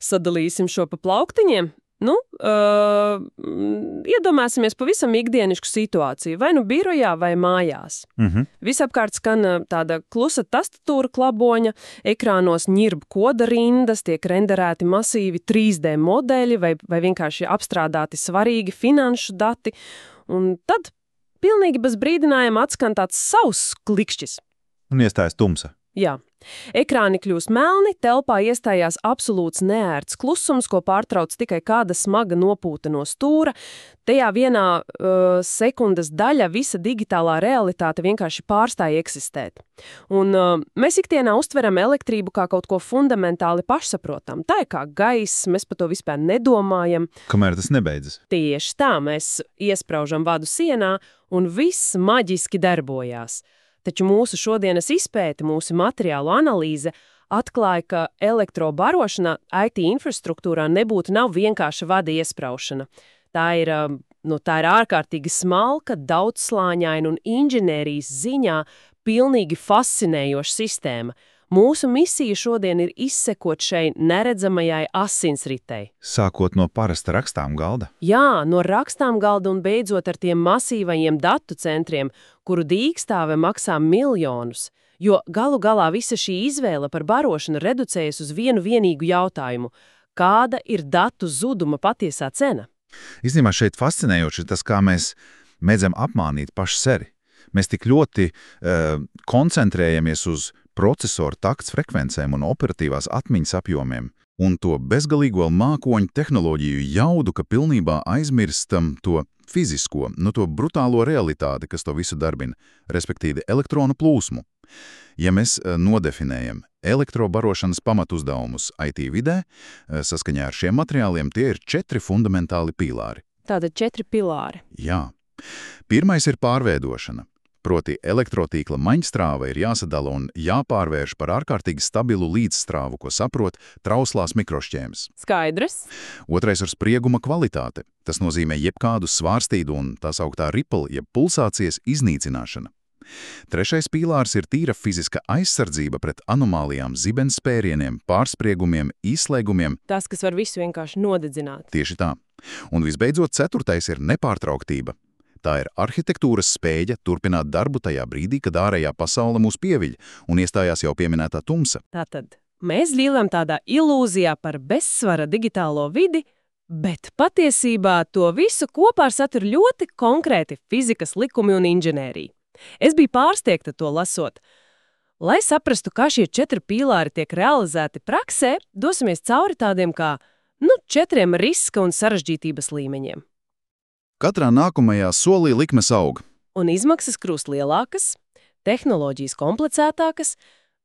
Sadalīsim šo pa plauktiņiem. Iedomāsimies pavisam ikdienišku situāciju, vai nu birojā, vai mājās. Visapkārt skan tāda klusa tastatūra klaboņa, ekrānos ņirb koda rindas, tiek renderēti masīvi 3D modeļi vai vienkārši apstrādāti svarīgi finanšu dati, un tad pilnīgi bez brīdinājuma atskan tāds sauss klikšķis. Un iestājas tumsa. Jā. Ekrāni kļūst melni, telpā iestājās absolūts neērts klusums, ko pārtrauc tikai kāda smaga nopūta no stūra. Tajā vienā sekundes daļa visa digitālā realitāte vienkārši pārstāja eksistēt. Un mēs ikdienā uztveram elektrību kā kaut ko fundamentāli pašsaprotam. Tā ir kā gaiss, mēs par to vispār nedomājam. Kamēr tas nebeidzas. Tieši tā, mēs iespraužam vadu sienā, un viss maģiski darbojās. Taču mūsu šodienas izpēte, mūsu materiālu analīze atklāja, ka elektrobarošana IT infrastruktūrā nav vienkārša vada iespraušana. Tā ir ārkārtīgi smalka, daudzslāņaina un inženērijas ziņā pilnīgi fascinējoša sistēma. Mūsu misija šodien ir izsekot šai neredzamajai asinsritei. Sākot no parasta rakstām galda? Jā, no rakstām galda un beidzot ar tiem masīvajiem datu centriem, kuru dīkstāve maksā miljonus, jo galu galā visa šī izvēle par barošanu reducējas uz vienu vienīgu jautājumu – kāda ir datu zuduma patiesā cena? Īstenībā šeit fascinējoši tas, kā mēs mēdzam apmānīt paši sevi. Mēs tik ļoti koncentrējamies uz procesoru takts frekvencēm un operatīvās atmiņas apjomiem, un to bezgalīgo mākoņu tehnoloģiju jaudu, ka pilnībā aizmirstam to fizisko, to brutālo realitāti, kas to visu darbina, respektīvi elektronu plūsmu. Ja mēs nodefinējam elektrobarošanas pamatuzdevumus IT vidē, saskaņā ar šiem materiāliem tie ir 4 fundamentāli pīlāri. Tātad 4 pilāri. Jā. Pirmais ir pārveidošana. Proti elektrotīkla maņstrāva ir jāsadala un jāpārvērš par ārkārtīgi stabilu līdzstrāvu, ko saprot trauslās mikrošķēmes. Skaidrs. Otrais ir sprieguma kvalitāte. Tas nozīmē jebkādu svārstīdu un tā sauktā ripple, jeb pulsācijas iznīcināšana. Trešais pīlārs ir tīra fiziska aizsardzība pret anomālijām, zibenspērieniem, pārspriegumiem, izslēgumiem. Tas, kas var visu vienkārši nodedzināt. Tieši tā. Un visbeidzot, ceturtais ir nepārtrauktība. Tā ir arhitektūras spēja turpināt darbu tajā brīdī, kad ārējā pasaule mūs pieviļ un iestājās jau pieminētā tumsa. Tātad mēs dzīvojam tādā ilūzijā par bezsvara digitālo vidi, bet patiesībā to visu kopā satur ļoti konkrēti fizikas likumi un inženērija. Es biju pārsteigta to lasot. Lai saprastu, kā šie 4 pīlāri tiek realizēti praksē, dosimies cauri tādiem kā 4 riska un sarežģītības līmeņiem. Katrā nākamajā solī likmes aug. Un izmaksas kļūst lielākas, tehnoloģijas komplicētākas.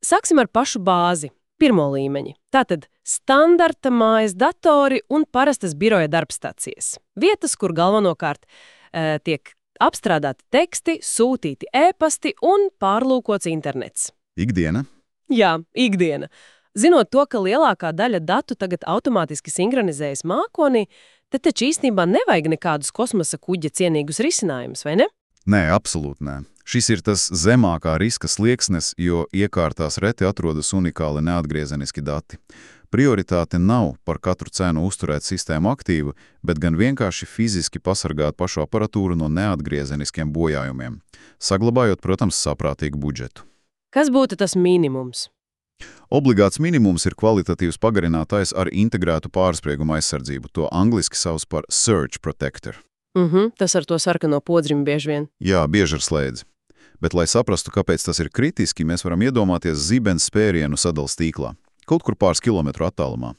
Sāksim ar pašu bāzi, pirmo līmeņi. Tātad standarta mājas datori un parastas biroja darbstacijas. Vietas, kur galvenokārt tiek apstrādāti teksti, sūtīti e-pasti un pārlūkots internets. Ikdiena? Jā, ikdiena. Zinot to, ka lielākā daļa datu tagad automātiski sinhronizējas mākonī, tad taču īstenībā nevajag nekādus kosmosa kuģa cienīgus risinājumus, vai ne? Nē, absolūti nē. Šis ir tas zemākā riska slieksnes, jo iekārtās reti atrodas unikāli neatgriezeniski dati. Prioritāte nav par katru cenu uzturēt sistēmu aktīvu, bet gan vienkārši fiziski pasargāt pašu aparatūru no neatgriezeniskiem bojājumiem, saglabājot, protams, saprātīgu budžetu. Kas būtu tas minimums? Obligāts minimums ir kvalitatīvs pagarinātājs ar integrētu pārsprieguma aizsardzību. To angliski sauc par Surge Protector. Tas ar to sarkano podziņu bieži vien. Jā, bieži ar slēdzi. Bet, lai saprastu, kāpēc tas ir kritiski, mēs varam iedomāties zibenspērienu sadals tīklā, kaut kur pāris kilometru attālumā.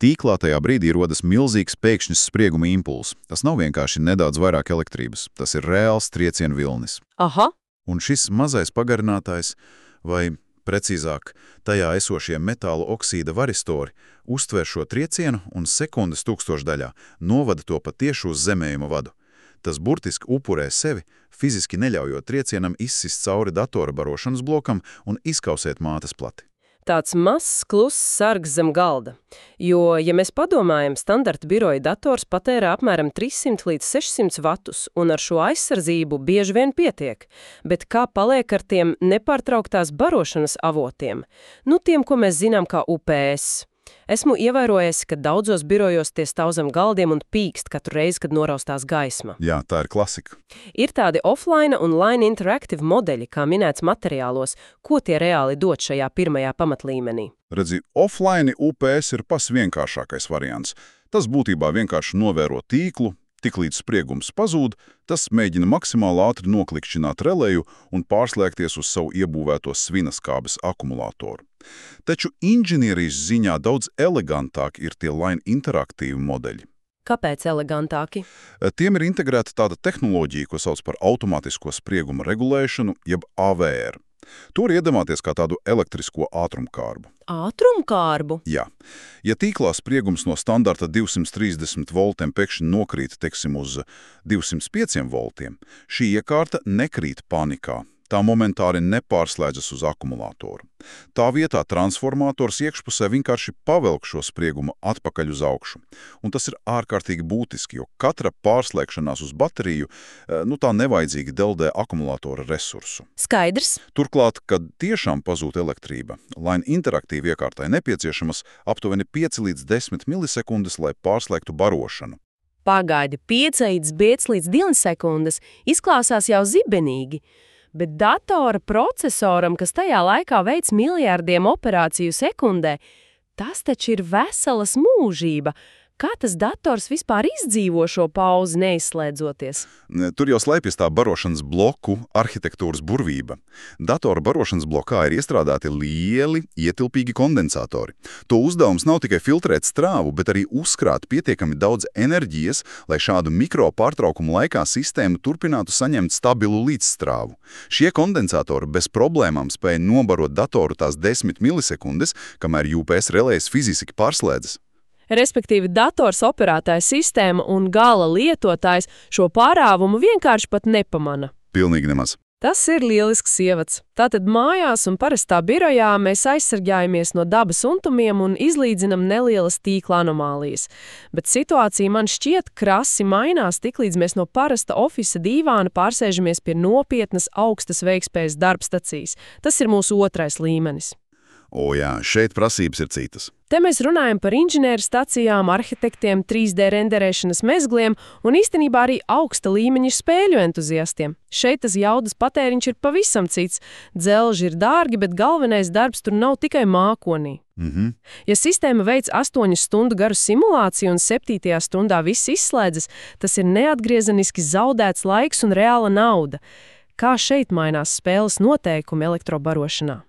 Tīklā tajā brīdī rodas milzīgs pēkšņs sprieguma impulss. Tas nav vienkārši nedaudz vairāk elektrības. Tas ir reāls triecienu vilnis. Aha. Un šis mazais pagarinātājs, vai precīzāk, tajā esošie metāla oksīda varistori uztver šo triecienu un sekundes tūkstošdaļā novada to pa tieši uz zemējuma vadu. Tas burtiski upurē sevi, fiziski neļaujot triecienam izsist cauri datora barošanas blokam un izkausēt mātes plati. Tāds mazs, kluss sargs zem galda. Jo, ja mēs padomājam, standarta biroja dators patērē apmēram 300 līdz 600 vatus, un ar šo aizsardzību bieži vien pietiek. Bet kā paliek ar tiem nepārtrauktās barošanas avotiem? Tiem, ko mēs zinām kā UPS. Esmu ievērojies, ka daudzos birojos tie stāv zem galdiem un pīkst katru reizi, kad noraustās gaisma. Jā, tā ir klasika. Ir tādi offline un line interactive modeļi, kā minēts materiālos, ko tie reāli dod šajā pirmajā pamatlīmenī. Redzi, offline UPS ir pats vienkāršākais variants. Tas būtībā vienkārši novēro tīklu, tiklīdz spriegums pazūd, tas mēģina maksimāli ātri noklikšķināt relēju un pārslēgties uz savu iebūvēto svinaskābes akumulātoru. Taču inženierijas ziņā daudz elegantāk ir tie line interaktīvi modeļi. Kāpēc elegantāki? Tiem ir integrēta tāda tehnoloģija, ko sauc par automātisko sprieguma regulēšanu, jeb AVR. To var iedomāties kā tādu elektrisko ātrumkārbu. Ātrumkārbu? Jā. Ja tīklā spriegums no standarta 230 voltiem pēkšņi nokrīt, teiksim, uz 205 voltiem, šī iekārta nekrīt panikā. Tā momentāri nepārslēdzas uz akumulātoru. Tā vietā transformators iekšpusē vienkārši pavelk šo spriegumu atpakaļ uz augšu. Un tas ir ārkārtīgi būtiski, jo katra pārslēgšanās uz bateriju, tā nevajadzīgi deldē akumulātora resursu. Skaidrs. Turklāt, kad tiešām pazūd elektrība, line interaktīvi iekārtai nepieciešamas aptuveni 5 līdz 10 milisekundes, lai pārslēgtu barošanu. Pagaidi, 5 līdz 2 sekundes izklausās jau zibenīgi. Bet datora procesoram, kas tajā laikā veic miljārdiem operāciju sekundē, tas taču ir veselas mūžība. Kā tas dators vispār izdzīvo šo pauzi neizslēdzoties? Tur jau slēpjas tā barošanas bloku arhitektūras burvība. Datora barošanas blokā ir iestrādāti lieli, ietilpīgi kondensatori. To uzdevums nav tikai filtrēt strāvu, bet arī uzkrāt pietiekami daudz enerģijas, lai šādu mikro pārtraukumu laikā sistēma turpinātu saņemt stabilu līdzstrāvu. Šie kondensatori bez problēmām spēja nobarot datoru tās 10 milisekundes, kamēr UPS relējas fiziski pārslēdzas. Respektīvi, dators operētāja sistēma un gala lietotājs šo pārāvumu vienkārši pat nepamana. Pilnīgi nemaz. Tas ir lielisks ievads. Tātad mājās un parastā birojā mēs aizsargājamies no dabas untumiem un izlīdzinam nelielas tīkla anomālijas. Bet situācija man šķiet krasi mainās, tiklīdz mēs no parasta ofisa dīvāna pārsēžamies pie nopietnas augstas veiktspējas darbstacijas. Tas ir mūsu otrais līmenis. O jā, šeit prasības ir citas. Te mēs runājam par inženieru stacijām, arhitektiem, 3D renderēšanas mezgliem un īstenībā arī augsta līmeņa spēļu entuziastiem. Šeit tas jaudas patēriņš ir pavisam cits. Dzelži ir dārgi, bet galvenais darbs tur nav tikai mākonī. Ja sistēma veic 8 stundu garu simulāciju un 7. stundā viss izslēdzas, tas ir neatgriezeniski zaudēts laiks un reāla nauda. Kā šeit mainās spēles noteikumi elektrobarošanā?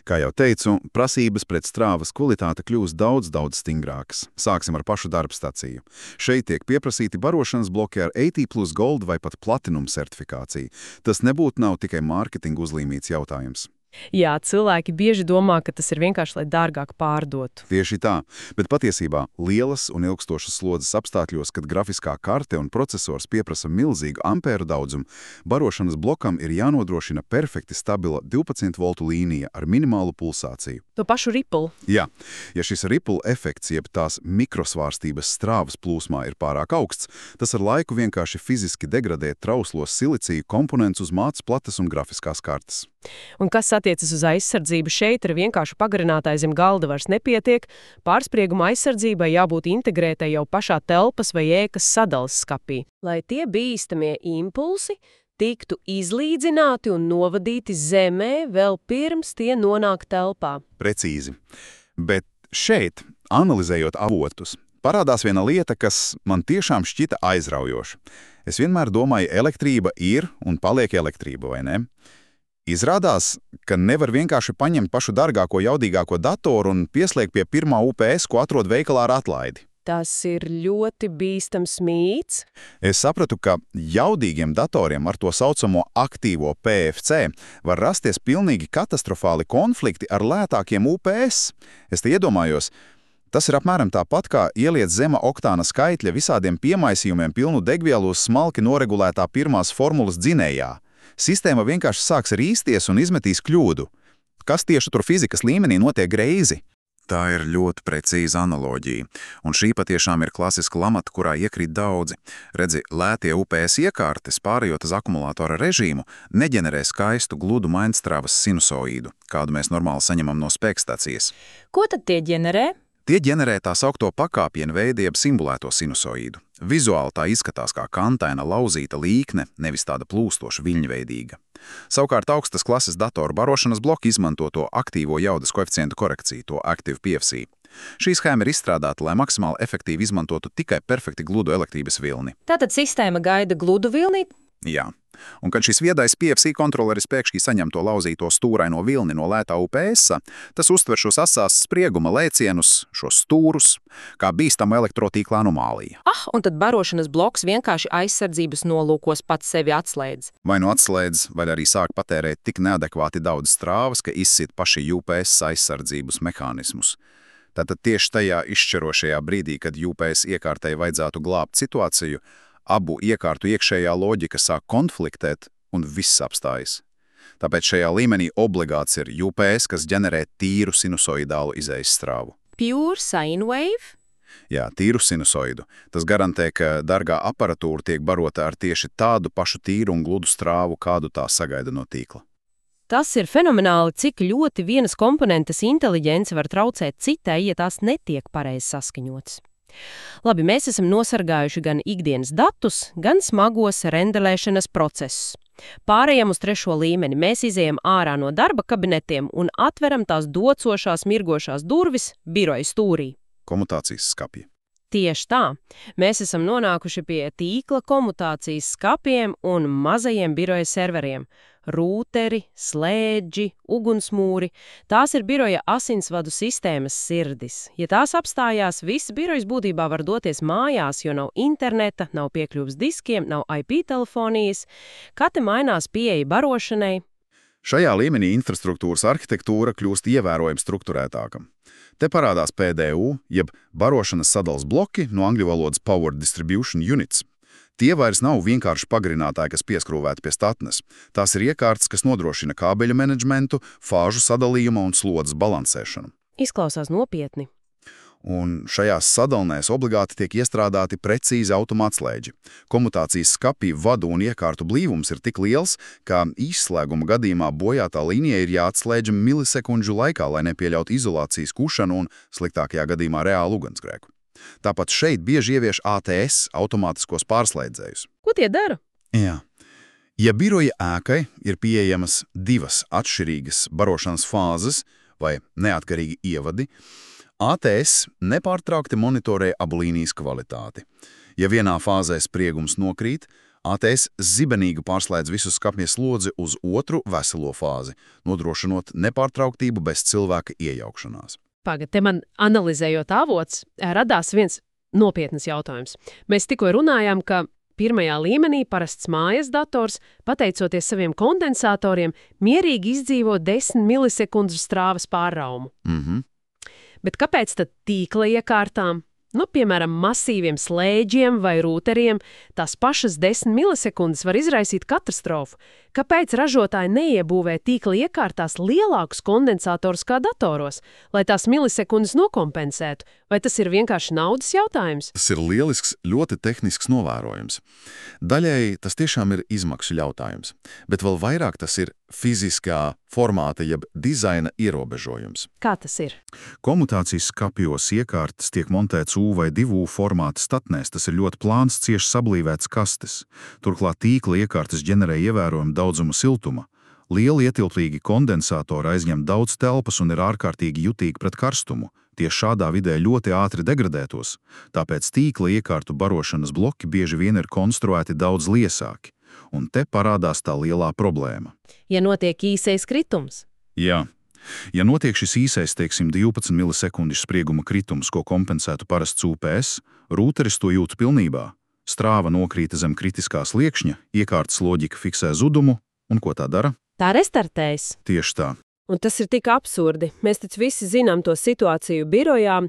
Kā jau teicu, prasības pret strāvas kvalitāte kļūst daudz stingrākas. Sāksim ar pašu darbstaciju. Šeit tiek pieprasīti barošanas bloki ar 80+ Gold vai pat Platinum certifikāciju. Tas nebūtu nav tikai mārketinga uzlīmīts jautājums. Jā, cilvēki bieži domā, ka tas ir vienkārši, lai dārgāk pārdotu. Tieši tā, bet patiesībā lielas un ilgstošas slodzes apstākļos, kad grafiskā karte un procesors pieprasa milzīgu ampēru daudzumu, barošanas blokam ir jānodrošina perfekti stabila 12 voltu līnija ar minimālu pulsāciju. To pašu Ripple. Jā, ja šis Ripple efekts, jeb tās mikrosvārstības strāvas plūsmā ir pārāk augsts, tas ar laiku vienkārši fiziski degradē trauslos siliciju komponentus uz mātes plates un grafiskās kartes. Un kas attiecas uz aizsardzību, šeit ar vienkārši pagarinātāju zem galda vairs nepietiek, pārsprieguma aizsardzībai jābūt integrētai jau pašā telpas vai ēkas sadales skapī. Lai tie bīstamie impulsi tiktu izlīdzināti un novadīti zemē vēl pirms tie nonāk telpā. Precīzi. Bet šeit, analizējot avotus, parādās viena lieta, kas man tiešām šķita aizraujoša. Es vienmēr domāju, elektrība ir un paliek elektrība, vai ne? Izrādās, ka nevar vienkārši paņemt pašu dārgāko, jaudīgāko datoru un pieslēgt pie pirmā UPS, ko atrod veikalā ar atlaidi. Tas ir ļoti bīstams mīts. Es sapratu, ka jaudīgiem datoriem ar to saucamo aktīvo PFC var rasties pilnīgi katastrofāli konflikti ar lētākiem UPS. Es te iedomājos, tas ir apmēram tāpat, kā ieliet zema oktāna skaitļa visādiem piemaisījumiem pilnu degvielu uz smalki noregulētā pirmās formulas dzinējā. Sistēma vienkārši sāks rīsties un izmetīs kļūdu. Kas tieši tur fizikas līmenī notiek greizi? Tā ir ļoti precīza analoģija, un šī patiešām ir klasiska lamata, kurā iekrīt daudzi. Redzi, lētie UPS iekārtes, pārējot uz akumulātora režīmu, neģenerē skaistu gludu mainstrāvas sinusoīdu, kādu mēs normāli saņemam no spēkstacijas. Ko tad tie ģenerē? Tie ģenerē tā saukto pakāpienu veidu jeb simulēto sinusoīdu. Vizuāli tā izskatās kā kantaina lauzīta līkne, nevis tāda plūstoša viļņveidīga. Savukārt augstas klases datoru barošanas bloki izmanto to aktīvo jaudas koeficientu korekciju, to Active PFC. Šī schēma ir izstrādāta, lai maksimāli efektīvi izmantotu tikai perfekti gludu elektrības vilni. Tātad sistēma gaida gludu vilni? Jā. Un kad šis viedais PFC kontroleris pēkšņi saņem to lauzīto stūraino vilni no lētā UPS, tas uztver šos asās sprieguma lēcienus, šos stūrus, kā bīstamu elektrotīkla anomāliju. Un tad barošanas bloks vienkārši aizsardzības nolūkos pats sevi atslēdz. Vai nu atslēdz, vai arī sāk patērēt tik neadekvāti daudz strāvas, ka izsit paši UPS aizsardzības mehānismus. Tātad tieši tajā izšķirošajā brīdī, kad UPS iekārtai vajadzētu glābt situāciju, abu iekārtu iekšējā loģika sāk konfliktēt un viss apstājas. Tāpēc šajā līmenī obligāts ir UPS, kas ģenerē tīru sinusoidālu izejas strāvu. Pure sine wave? Jā, tīru sinusoidu. Tas garantē, ka dārgā aparatūra tiek barota ar tieši tādu pašu tīru un gludu strāvu, kādu tā sagaida no tīkla. Tas ir fenomenāli, cik ļoti vienas komponentes inteliģence var traucēt citai, ja tās netiek pareizi saskaņotas. Labi, mēs esam nosargājuši gan ikdienas datus, gan smagos rendelēšanas procesus. Pārējām uz 3. līmeni mēs izejam ārā no darba kabinetiem un atveram tās docošās mirgošās durvis biroja stūrī. Komutācijas skapji. Tieši tā. Mēs esam nonākuši pie tīkla komutācijas skapiem un mazajiem biroja serveriem. Rūteri, slēdži, ugunsmūri – tās ir biroja asinsvadu sistēmas sirdis. Ja tās apstājās, viss birojs būtībā var doties mājās, jo nav interneta, nav piekļuves diskiem, nav IP telefonijas. Kā te mainās pieeja barošanai? Šajā līmenī infrastruktūras arhitektūra kļūst ievērojami strukturētāka. Te parādās PDU, jeb barošanas sadalas bloki, no angļu valodas Power Distribution Units. Tie vairs nav vienkārši pagarinātāji, kas pieskrūvēti pie statnes. Tās ir iekārtas, kas nodrošina kābeļu menedžmentu, fāžu sadalījuma un slodzes balansēšanu. Izklausās nopietni. Un šajās sadalnēs obligāti tiek iestrādāti precīzi automātslēdži. Komutācijas skapī vadu un iekārtu blīvums ir tik liels, ka izslēguma gadījumā bojātā līnija ir jāatslēdž milisekundžu laikā, lai nepieļautu izolācijas kušanu un sliktākajā gadījumā reālu ugunsgrēku. Tāpat šeit bieži ievieš ATS, automātiskos pārslēdzējus. Ko tie dara? Jā. Ja biroja ēkai ir pieejamas 2 atšķirīgas barošanas fāzes vai neatkarīgi ievadi, ATS nepārtraukti monitorē abu līnijas kvalitāti. Ja vienā fāzē spriegums nokrīt, ATS zibenīgi pārslēdz visu skapja slodzi uz otru veselo fāzi, nodrošinot nepārtrauktību bez cilvēka iejaukšanās. Pagad, te man analizējot avots, radās viens nopietnas jautājums. Mēs tikko runājām, ka 1. līmenī parasts mājas dators, pateicoties saviem kondensatoriem, mierīgi izdzīvo 10 milisekundžu strāvas pārraumu. Bet kāpēc tad tīkla iekārtām, piemēram, masīviem slēdžiem vai rūteriem, tās pašas 10 milisekundes var izraisīt katastrofu? Kāpēc ražotāji neiebūvē tīkla iekārtās lielākus kondensatorus kā datoros, lai tās milisekundes nokompensētu? Vai tas ir vienkārši naudas jautājums? Tas ir lielisks, ļoti tehnisks novērojums. Daļai tas tiešām ir izmaksu jautājums, bet vēl vairāk tas ir fiziskā formāta jeb dizaina ierobežojums. Kā tas ir? Komutācijas skapjos iekārtas tiek montēts U vai 2U formāta statnēs, tas ir ļoti plāns, cieši sablīvēts kastes. Turklāt tīkla iekārtas ģenerē ievērojumu daudzumu siltuma. Lieli ietilpīgi kondensatori aizņem daudz telpas un ir ārkārtīgi jutīgi pret karstumu. Tie šādā vidē ļoti ātri degradētos, tāpēc tīkla iekārtu barošanas bloki bieži vien ir konstruēti daudz liesāki. Un te parādās tā lielā problēma. Ja notiek īsais kritums? Jā. Ja notiek šis īsais, 12 milisekundžu sprieguma kritums, ko kompensētu parasts UPS, rūteris to jūt pilnībā. Strāva nokrīta zem kritiskā sliekšņa, iekārtas loģika fiksē zudumu, un ko tā dara? Tā restartējas. Tieši tā. Un tas ir tik absurdi. Mēs taču visi zinām to situāciju birojā.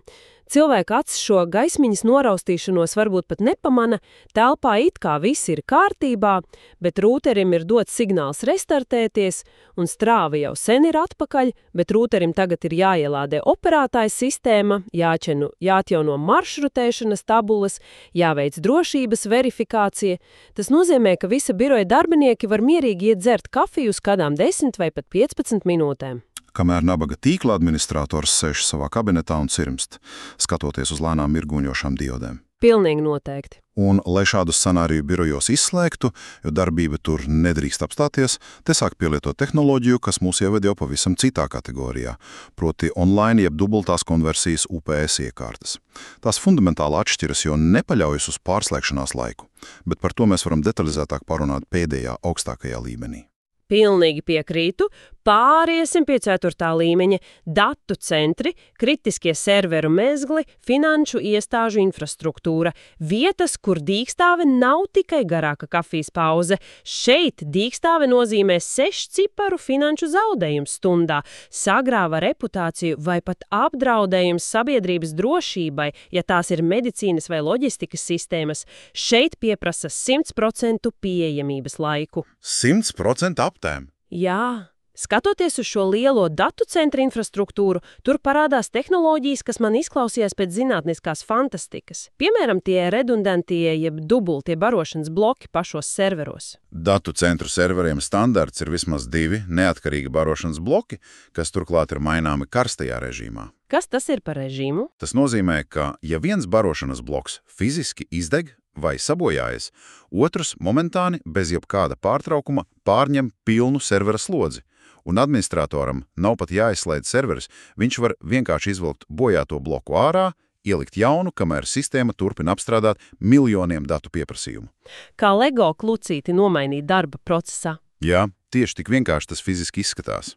Cilvēka acis šo gaismiņas noraustīšanos varbūt pat nepamana, telpā it kā viss ir kārtībā, bet rūterim ir dots signāls restartēties, un strāva jau sen ir atpakaļ, bet rūterim tagad ir jāielādē operētāja sistēma, jāatjauno maršrutēšanas tabulas, jāveic drošības verifikācija. Tas nozīmē, ka visa biroja darbinieki var mierīgi iet dzert kafiju uz kādām 10 vai pat 15 minūtēm. kamēr nabaga tīkla administrators sēž savā kabinetā un cirmst, skatoties uz lēnām mirguņošām diodēm. Pilnīgi noteikti. Un, lai šādu scenāriju birojos izslēgtu, jo darbība tur nedrīkst apstāties, te sāk pielietot tehnoloģiju, kas mūs ieved jau pavisam citā kategorijā, proti online jeb dubultās konversijas UPS iekārtas. Tās fundamentāli atšķiras, jo nepaļaujas uz pārslēgšanās laiku, bet par to mēs varam detalizētāk parunāt pēdējā augstākajā līmenī. Pilnīgi piekrītu. Pāriesim pie 4. līmeņa – datu centri, kritiskie serveru mezgli, finanšu iestāžu infrastruktūra. Vietas, kur dīkstāve nav tikai garāka kafijas pauze. Šeit dīkstāve nozīmē 6-ciparu finanšu zaudējums stundā, sagrāva reputāciju vai pat apdraudējums sabiedrības drošībai, ja tās ir medicīnas vai loģistikas sistēmas. Šeit pieprasa 100% pieejamības laiku. 100% aptēm? Jā. Skatoties uz šo lielo datu centra infrastruktūru, tur parādās tehnoloģijas, kas man izklausījās pēc zinātniskās fantastikas. Piemēram, tie redundantie jeb dubultie barošanas bloki pašos serveros. Datu centru serveriem standarts ir vismaz 2 neatkarīgi barošanas bloki, kas turklāt ir maināmi karstajā režīmā. Kas tas ir par režīmu? Tas nozīmē, ka, ja viens barošanas bloks fiziski izdeg vai sabojājas, otrs momentāni bez jebkāda pārtraukuma pārņem pilnu servera slodzi. Un administratoram nav pat jāizslēdz serveris, viņš var vienkārši izvilkt bojāto bloku ārā, ielikt jaunu, kamēr sistēma turpina apstrādāt miljoniem datu pieprasījumu. Kā Lego klucīti nomainīt darba procesā. Jā, tieši tik vienkārši tas fiziski izskatās.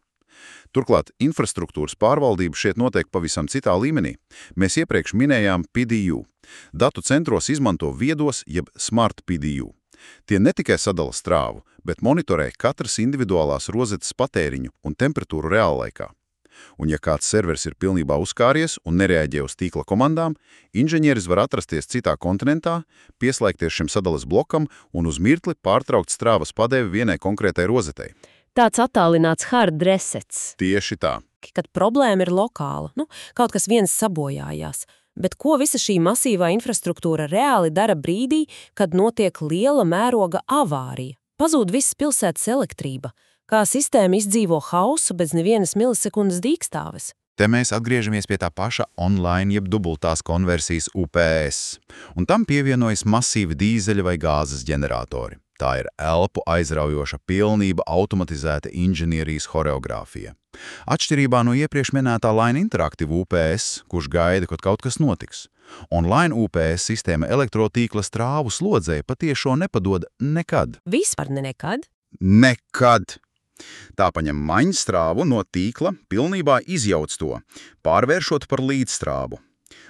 Turklāt infrastruktūras pārvaldība šeit notiek pavisam citā līmenī. Mēs iepriekš minējām PDU. Datu centros izmanto viedos jeb smart PDU. Tie ne tikai sadala strāvu, bet monitorē katras individuālās rozetes patēriņu un temperatūru reāllaikā. Un ja kāds serveris ir pilnībā uzkāries un nereaģē uz tīkla komandām, inženieris var atrasties citā kontinentā, pieslēgties šim sadales blokam un uz mirkli pārtraukt strāvas padevi vienai konkrētai rozetei. Tāds attālināts hard resets. Tieši tā. Kad problēma ir lokāla, kaut kas viens sabojājās. Bet ko visa šī masīvā infrastruktūra reāli dara brīdī, kad notiek liela mēroga avārija? Pazūd visas pilsētas elektrība. Kā sistēma izdzīvo hausu bez nevienas milisekundes dīkstāves? Te mēs atgriežamies pie tā paša online jeb dubultās konversijas UPS, un tam pievienojas masīvi dīzeļa vai gāzes ģeneratori. Tā ir elpu aizraujoša pilnība automatizēta inženierijas horeogrāfija. Atšķirībā no iepriekš minētā Line Interactive UPS, kurš gaida, kad kaut kas notiks. Online UPS sistēma elektrotīkla strāvu slodzēja patiešo nepadod nekad. Vispār nekad? Nekad! Tā paņem maņstrāvu no tīkla, pilnībā izjauc to, pārvēršot par līdzstrāvu.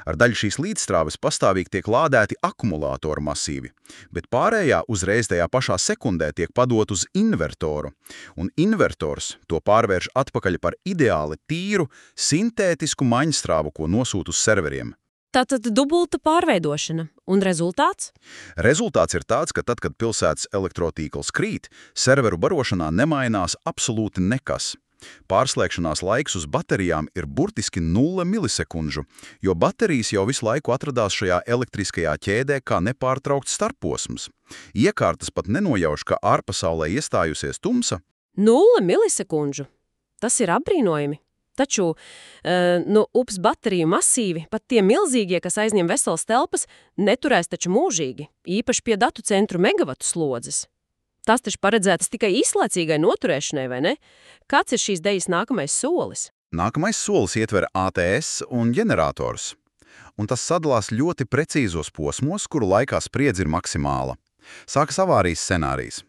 Ar daļu šīs līdzstrāves pastāvīgi tiek lādēti akumulātoru masīvi, bet pārējā uzreiz tajā pašā sekundē tiek padot uz invertoru, un invertors to pārvērš atpakaļ par ideāli tīru, sintētisku maņstrāvu, ko nosūt uz serveriem. Tātad dubulta pārveidošana. Un rezultāts? Rezultāts ir tāds, ka tad, kad pilsētas elektrotīkls krīt, serveru barošanā nemainās absolūti nekas. Pārslēgšanās laiks uz baterijām ir burtiski 0 milisekundžu, jo baterijas jau visu laiku atradās šajā elektriskajā ķēdē kā nepārtraukts starposms. Iekārtas pat nenojauš, ka ārpasaulē iestājusies tumsa. 0 milisekundžu. Tas ir apbrīnojami. Taču, ups bateriju masīvi, pat tie milzīgie, kas aizņem veselas telpas, neturēs taču mūžīgi, īpaši pie datu centru megavatu slodzes. Tas taču paredzētas tikai īslaicīgai noturēšanai, vai ne? Kāds ir šīs dejas nākamais solis? Nākamais solis ietver ATS un ģenerators. Un tas sadalās ļoti precīzos posmos, kuru laikā spriedze ir maksimāla. Sākas avārijas scenārijs.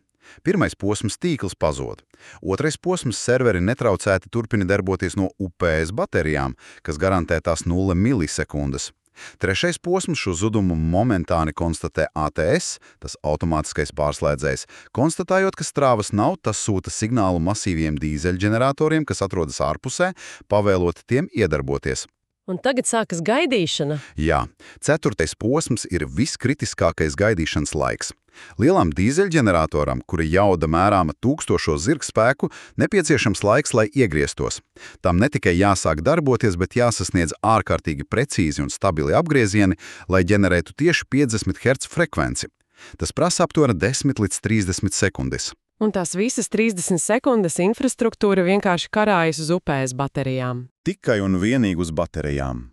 Pirmais posms tīkls pazod. Otrais posms serveri netraucēti turpina darboties no UPS baterijām, kas garantē tās 0 milisekundes. Trešais posms šo zudumu momentāni konstatē ATS, tas automātiskais pārslēdzējs. Konstatējot, ka strāvas nav, tas sūta signālu masīviem dīzeļģeneratoriem, kas atrodas ārpusē, pavēlot tiem iedarboties. Un tagad sākas gaidīšana. Jā, ceturtais posms ir viskritiskākais gaidīšanas laiks. Lielam dīzeļģeneratoram, kuri jauda mērāma 1000 zirgspēku, nepieciešams laiks, lai iegrieztos. Tam ne tikai jāsāk darboties, bet jāsasniedz ārkārtīgi precīzi un stabili apgriezieni, lai ģenerētu tieši 50 Hz frekvenci. Tas prasa aptuveni 10 līdz 30 sekundes. Un tās visas 30 sekundes infrastruktūra vienkārši karājas uz upēs baterijām. Tikai un vienīgi uz baterijām.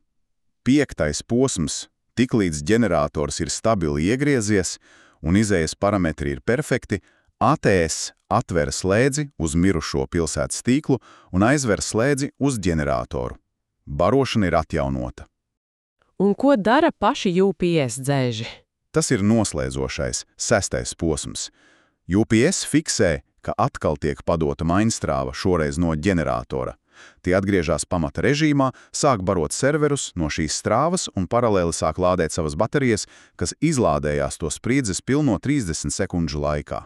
5. posms, tiklīdz ģenerators ir stabili iegriezies un izējas parametri ir perfekti, ATS atver slēdzi uz mirušo pilsētas tīklu un aizver slēdzi uz ģeneratoru. Barošana ir atjaunota. Un ko dara paši UPS dzēži? Tas ir noslēdzošais, 6. posms. UPS fiksē, ka atkal tiek padota mainstrāva, šoreiz no ģeneratora. Tie atgriežas pamata režīmā, sāk barot serverus no šīs strāvas un paralēli sāk lādēt savas baterijas, kas izlādējās to spriedzes pilno 30 sekundžu laikā.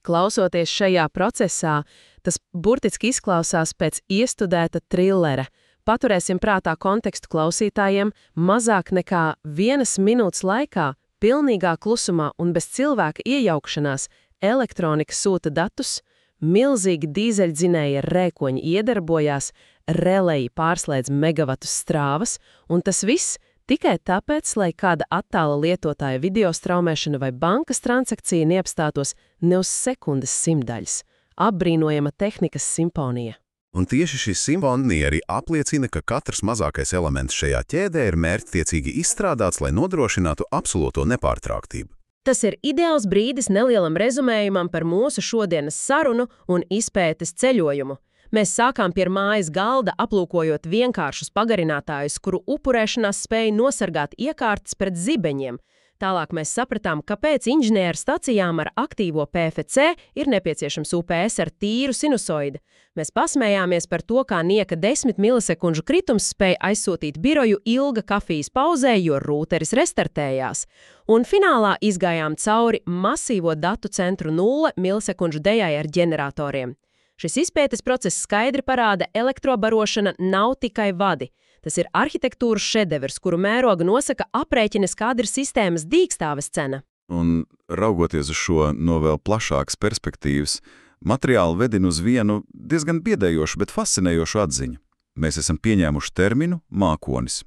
Klausoties šajā procesā, tas burtiski izklausās pēc iestudēta trillera. Paturēsim prātā kontekstu klausītājiem, mazāk nekā 1 minūtes laikā, pilnīgā klusumā un bez cilvēka iejaukšanās, elektronika sūta datus, milzīgi dīzeļdzinēja rēkoņi iedarbojās, releji pārslēdz megavatus strāvas, un tas viss tikai tāpēc, lai kāda attāla lietotāja video straumēšana vai bankas transakcija neapstātos ne uz sekundes simtdaļas. Apbrīnojama tehnikas simfonija. Un tieši šī simfonija arī apliecina, ka katrs mazākais elements šajā ķēdē ir mērķtiecīgi izstrādāts, lai nodrošinātu absolūto nepārtrauktību. Tas ir ideāls brīdis nelielam rezumējumam par mūsu šodienas sarunu un izpētes ceļojumu. Mēs sākām pie mājas galda, aplūkojot vienkāršus pagarinātājus, kuru upurēšanās spēja nosargāt iekārtas pret zibeņiem. Tālāk mēs sapratām, kāpēc inženieru stacijām ar aktīvo PFC ir nepieciešams UPS ar tīru sinusoidi. Mēs pasmējāmies par to, kā nieka 10 milisekundžu kritums spēja aizsūtīt biroju ilga kafijas pauzē, jo rūteris restartējās. Un finālā izgājām cauri masīvo datu centru 0 milisekundžu dejai ar ģeneratoriem. Šis izpētes process skaidri parāda, elektrobarošana nav tikai vadi. Tas ir arhitektūras šedevrs, kuru mēroga nosaka aprēķines, kāda ir sistēmas dīkstāves cena. Un raugoties uz šo no vēl plašākas perspektīvas, materiāli vedina uz vienu diezgan biedējošu, bet fascinējošu atziņu. Mēs esam pieņēmuši terminu mākonis.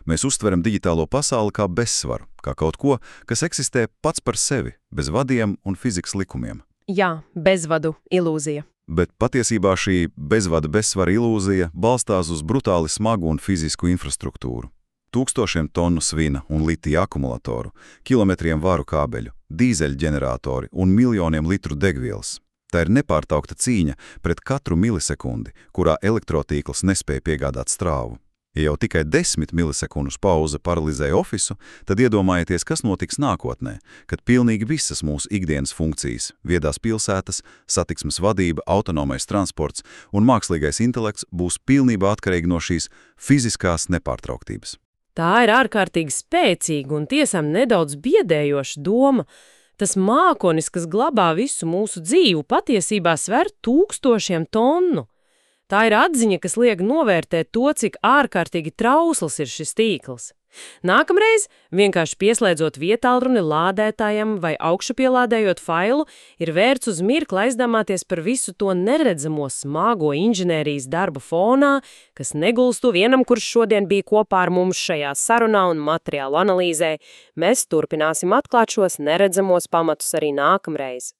Mēs uztveram digitālo pasauli kā bezsvaru, kā kaut ko, kas eksistē pats par sevi, bez vadiem un fizikas likumiem. Jā, bezvadu ilūzija. Bet patiesībā šī bezvada bezsvara ilūzija balstās uz brutāli smagu un fizisku infrastruktūru. Tūkstošiem tonu svina un litija akumulatoru, kilometriem varu kābeļu, dīzeļģeneratori un miljoniem litru degvielas. Tā ir nepārtraukta cīņa pret katru milisekundi, kurā elektrotīkls nespēja piegādāt strāvu. Ja jau tikai 10 milisekundus pauze paralizēja ofisu, tad iedomājieties, kas notiks nākotnē, kad pilnīgi visas mūsu ikdienas funkcijas – viedās pilsētas, satiksmes vadība, autonomais transports un mākslīgais intelekts būs pilnībā atkarīgi no šīs fiziskās nepārtrauktības. Tā ir ārkārtīgi spēcīga un tiesām nedaudz biedējoša doma. Tas mākonis, kas glabā visu mūsu dzīvu, patiesībā sver 1000 tonu. Tā ir atziņa, kas liek novērtēt to, cik ārkārtīgi trausls ir šis tīkls. Nākamreiz, vienkārši pieslēdzot vietālruni lādētājam vai augšupielādējot failu, ir vērts uz mirkli aizdomāties par visu to neredzamo smago inženērijas darbu fonā, kas negulstu vienam, kurš šodien bija kopā ar mums šajā sarunā un materiālu analīzē. Mēs turpināsim atklāt šos neredzamos pamatus arī nākamreiz.